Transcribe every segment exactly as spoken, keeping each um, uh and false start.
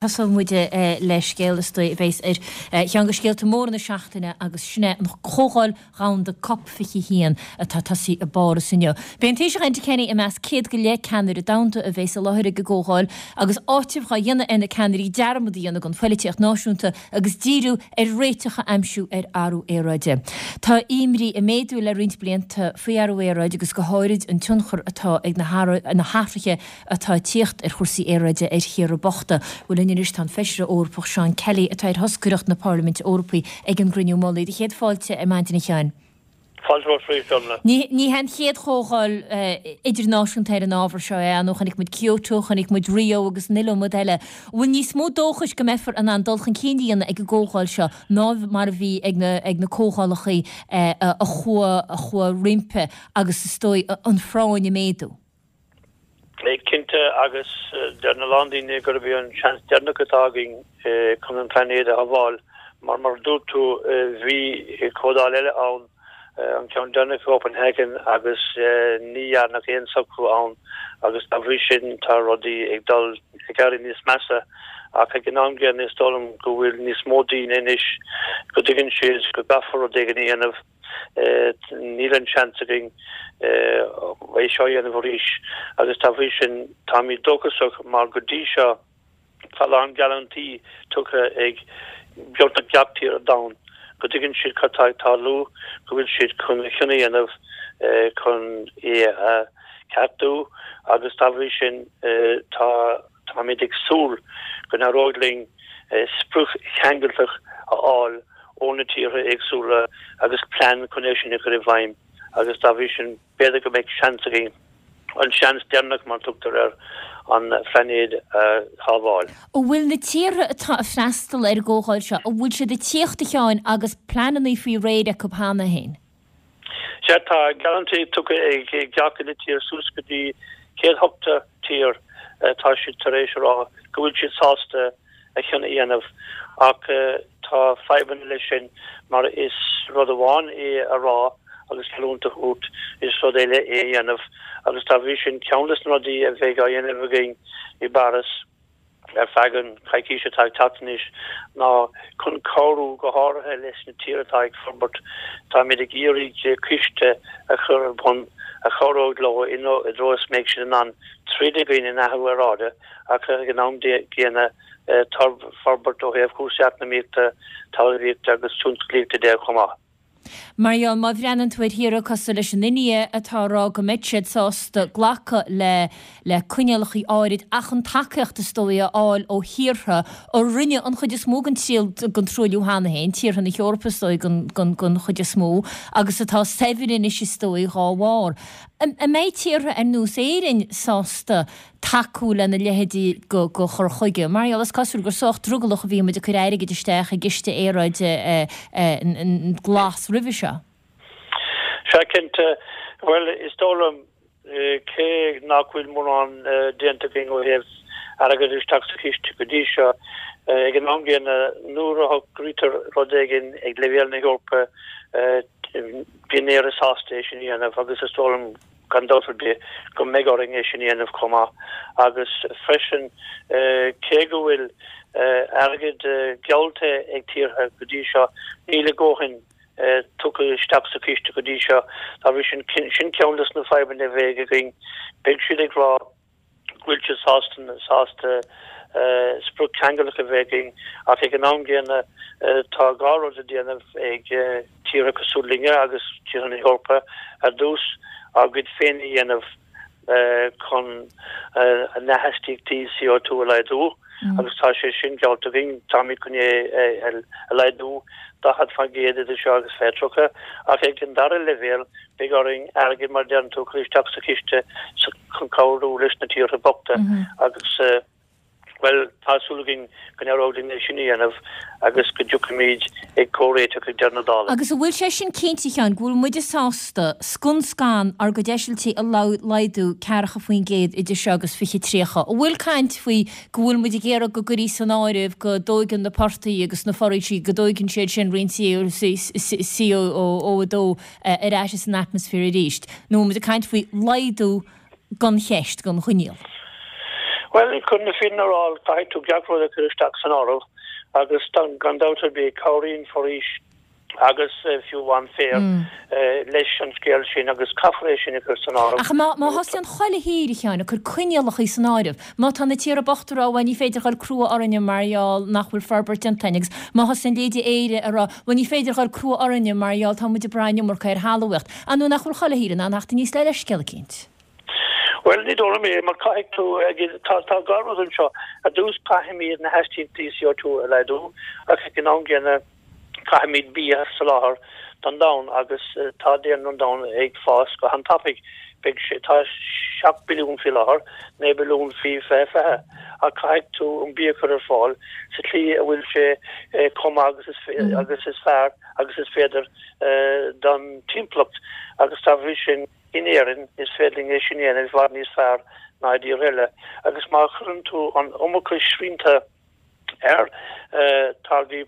Tosóidh muid le scéal is dóigh a bheas ar cheann de scéalta móra na seachtaine agus sin é an Chomhdháil Dhomhanda Cop fiche a haon atá tosaithe i bPáras inniu. Beidh an Taoiseach Enda Kenny i measc céad go leith ceannaire domhanda a bheas i láthair ag an gcomhdháil agus áiteamh dhá dhéanamh ar na ceannairí dearmad a dhéanamh den phoilitíocht náisiúnta agus díriú ar réiteach a aimsiú ar athrú aeráide. Tá imní ag méadú le roinnt blianta faoi athrú aeráide agus go háirid an tionchar atá ag na hathruithe atá ag tíocht ar chúrsaí aeráide ar thíortha bochta. Bhuel linn anois tá an Feisire Eorpach Seán Kelly atá ar thoscaireacht na Parlaiminte Eorpaí ag an gcruinniú mullaigh. Do chéad fáilte ar maidin a Sheáin. Fáilte romhat arís, Orla. Ní hé an chéad chomhdháil idirnáisiúnta ar an ábhar seo é, nó chonaic muid Kyoto, chonaic muid Rio agus an iliomad eile. An bhfuil níos mó dóchais go mbeifear in ann dul chun cinn a dhéanamh ag an gcomhdháil seo ná mar a bhí ag na ag na comhdhálacha a chuaigh a chuaigh roimpi agus is dóigh an phráinn ag méadú? Cinnte, agus deir a lán daoine gurb é an seans deireanach atá againn chun an plainéad a shábháil, mar mar a dúirt tú, bhí comhdháil eile ann, an ceann deireanach i gCopenhagen, agus ní dhearnadh aon socrú ann, agus dá bhrí sin tá rudaí ag dul ag éirí níos measa. Ach ag an am gcéanna is dóigh liom go bhfuil níos mó daoine anois go dtuigeann siad go gcaithfear rud éigin a dhéanamh. Níl an seans againn é seo a dhéanamh arís agus dá bhrí sin táimid dóchasach mar go dtí seo tá a lán geallúintí tugtha ag beagnach gach tír ar domhan go dtuigeann siad cad tá ag tarlú, go bhfuil siad chun a chion a dhéanamh chun é a cheartú agus dá bhrí sin tá táimid ag súil go n-éireoidh linn sprioc cheangailteach a fháil ó na tíortha éagsúla agus plean chun é sin a chur i bhfeidhm agus dá bhrí sin b'fhéidir go mbeidh seans againn, an seans deireanach mar a tugtar air, an phlainéad a shábháil. An bhfuil na tíortha atá ag freastal ar an gcomhdháil seo, an bhfuil siad ag tíocht a Sheáin agus pleananna faoi réir acu cheana féin? Sea, tá geallúintí tugtha ag gach uile tír, suas go dtí céad ochtó tír, tá siad tar éis a rá go bhfuil siad sásta a chion a dhéanamh ach tá fadhbanna leis sin mar is rud amháin é a rá agus geallúint a thabhairt, is rud eile é a dhéanamh agus dá bhrí sin ceann de na rudaí a bheidh á dhéanamh againn i bPáras ar feadh an choicís atá ag teacht anois ná chun cabhrú go háirithe leis na tíortha atá ag forbairt. Táimid ag iarraidh ciste a chur ar bun a chabhróidh leo i dtreo is mbeidh siad in ann troid i gcoinne an athrú aeráide ach ag an am gcéanna forbairt ó thaobh cúrsaí eacnamaíochta, talmhaíochta agus tionsclaíochta de chomh maith. Mar gheall, má bhreathnaíonn tú ar thíortha cosúil leis an India atá ag rá go mbeidh siad sásta glacadh le le coinníollacha áirid ach an tacaíocht is dóigh a fháil ó thíortha a rinne an chuid is mó den den truailliú cheana féin, tíortha na hEorpa is dóigh den den chuid is mó, agus atá saibhir anois is dóigh dhá bharr. An mbeidh tíortha ar nós Éirinn sásta tacú lena leithéidí de chur chuige. Mar gheall, is cosúil gur sách drogallach a bhí muid ag cur airgid isteach i gciste aeráide glas roimhe seo. Sea, cinnte. Bhuel, is dóigh liom, cé nach bhfuil mórán déanta againn ó thaobh airgead isteach sa chiste go dtí seo, ag an am gcéanna, nuair a shocraítear rud éigin ag leibhéal na hEorpa, bíonn Éire sásta é sin a dhéanamh agus is dóigh liom gan dabht ar bith go mbeidh orainn é sin a dhéanamh chomh maith. Agus freisin, cé go bhfuil airgead geallta ag tíortha go dtí seo, níl a ndóthain tugtha isteach sa chiste go dtí seo. Dá bhrí sin, sin ceann de na fadhbanna a bheidh againn. Beidh siad ag rá go bhfuil siad sásta sásta sprioc cheangailteach a bheith againn ach ag an am gcéanna tá dhá rud le déanamh ag tíortha cosúil linne agus tíortha na hEorpa ar dtús ár gcuid féin a dhéanamh chun a n-astaíochtaí C O two a laghdú agus tá sé sin geallta againn, táimid chun é a laghdú daichead faoin gcéad idir seo agus fiche tríocha ach ag an dara leibhéal beidh orainn airgead mar a deireann tú a chur isteach sa chiste chun cabhrú leis na tíortha bochta agus, bhuel, tá súil againn go n-éireoidh linn é sin a dhéanamh agus go dtiocfaimid ag comhréiteach ag deireadh na dála. Agus an bhfuil sé sin cinnte, a Sheáin, go bhfuil muide sásta scun scan ár gcuid eisiltí a laghdú ceathracha faoin gcéad idir seo agus fiche tríocha? An bhfuil caint faoi go bhfuil muid ag iarraidh go gcuirfí san áireamh go dtóigeann na portaigh agus na foraoisí, go dtóigeann siad sin roinnt C O a dó ar ais san atmaisféar arís, nó an bhfuil muid ag caint faoi laghdú gan cheist, gan choinníoll? Bhuel, chun na fírinne a rá, caithfidh tú gach rud a chur isteach san áireamh agus gan dabht ar bith cabhraíonn foraois agus fiú amháin féar leis an scéal sin agus caithfear é sin a chur san áireamh. Ach má thosaíonn chuile thír, a Sheáin, ag cur coinníollacha san áireamh, má tá na tíortha bochta ag rá bhuel ní féidir dhul crua orainne mar gheall nach bhfuil forbairt déanta againn agus má thosaíonn leithéidí Éire ag rá bhuel ní féidir dhul crua orainne mar gheall tá muid ag brath an iomarca ar thalmhaíocht, an nó nach bhfuil chuile thír in ann theacht aníos le leithscéal eicínt? Bhuel, ní dóigh liom é, mar caithfidh tú, tá tá dhá rud anseo. Ar dtús caithfimid na hastaíochtaí C O two a laghdú ach ag an am gcéanna caithfimid bia a sholáthar don domhan agus tá daonra an domhain ag fás go han-tapaidh. Beidh sé, tá seacht billiún faoi láthair, naoi billiún faoi fiche fiche, ach caithfidh tú an bia a chur ar fáil sa tslí a bhfuil sé chomh maith agus is agus is fearr agus is féidir don timpeallacht agus dá bhrí sin in Éirinn is féidir linn é sin a dhéanamh i bhfad níos fearr ná i dtíortha eile agus má chuireann tú an iomarca srianta ar táirgí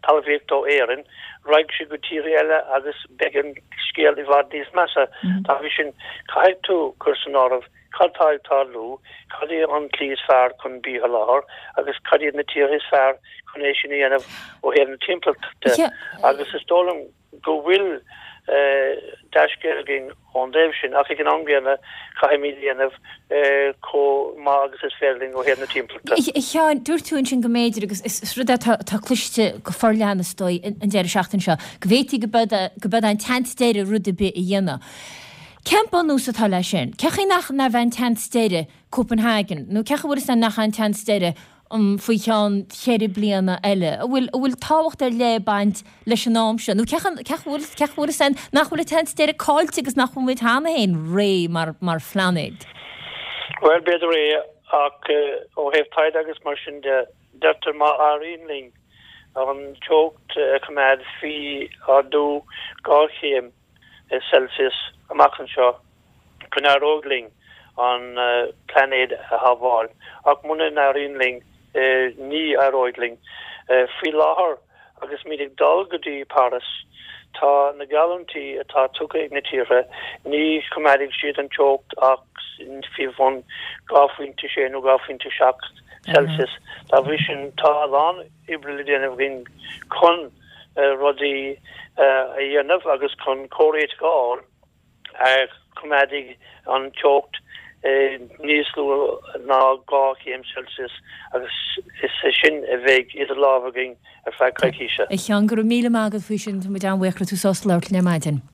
talmhaíochta ó Éirinn, raghaidh sé go tíortha eile agus beidh an scéal i bhfad níos measa. Dá bhrí sin, caithfidh tú cur san áireamh cad tá ag tarlú, cad é an tslí is fearr chun bia a sholáthar agus cad iad na tíortha is fearr chun é sin a dhéanamh ó thaobh na timpeallachta de. Agus is dóigh liom go bhfuil dea-scéal againn ón dtaobh sin, ach ag an am gcéanna caithfimid a dhéanamh chomh maith agus is féidir linn ó thaobh na timpeallachta. A Sheáin, dúirt tú ansin go mb'fhéidir, agus is rud é atá cloiste go forleathan is dóigh an deireadh seachtaine seo, go bhféadfaí go mbeadh an tseans deiridh rud ar bith a dhéanamh. Cén bunús atá leis sin? Cén chaoi nach nach bheith an tseans deiridh Copenhagen, nó cén chaoi a bhfuil a fhios againn nach an tseans deiridh faoi cheann ceithre bliana eile? An bhfuil, an bhfuil tábhacht ar leith ag baint leis an am seo? Nó cén chaoi, cén chaoi a bhfuil a fhios againn nach bhfuil an tseans deiridh caillte agus nach bhfuil muid cheana féin réidh mar, mar phlainéad? Bhuel, b'fhéidir é, ach ó thaobh taighde agus mar sin de, deirtear má éiríonn linn an teocht a choimeád faoi ardú dhá chéim Celsius amach anseo, go n-éireoidh linn an plainéad a shábháil, ach muna n-éiríonn linn, ní éireoidh linn. Faoi láthair, agus muid ag dul go dtí Páras, tá na geallúintí atá tugtha ag na tíortha, ní choimeádfaidh siad an teocht ach faoi bhun dhá phointe sé nó dhá phointe seacht Celsius. Dá bhrí sin, tá a lán oibre le déanamh againn chun rudaí a dhéanamh agus chun comhréiteach a fháil a choimeádfaidh an teocht níos lú ná dhá chéim Celsius agus is é sin a bheidh idir lámha againn ar feadh coicíse. A Sheáin, go raibh míle maith agat faoi sin, tá muid an-bhuíoch go raibh tú sásta labhairt linn ar maidin.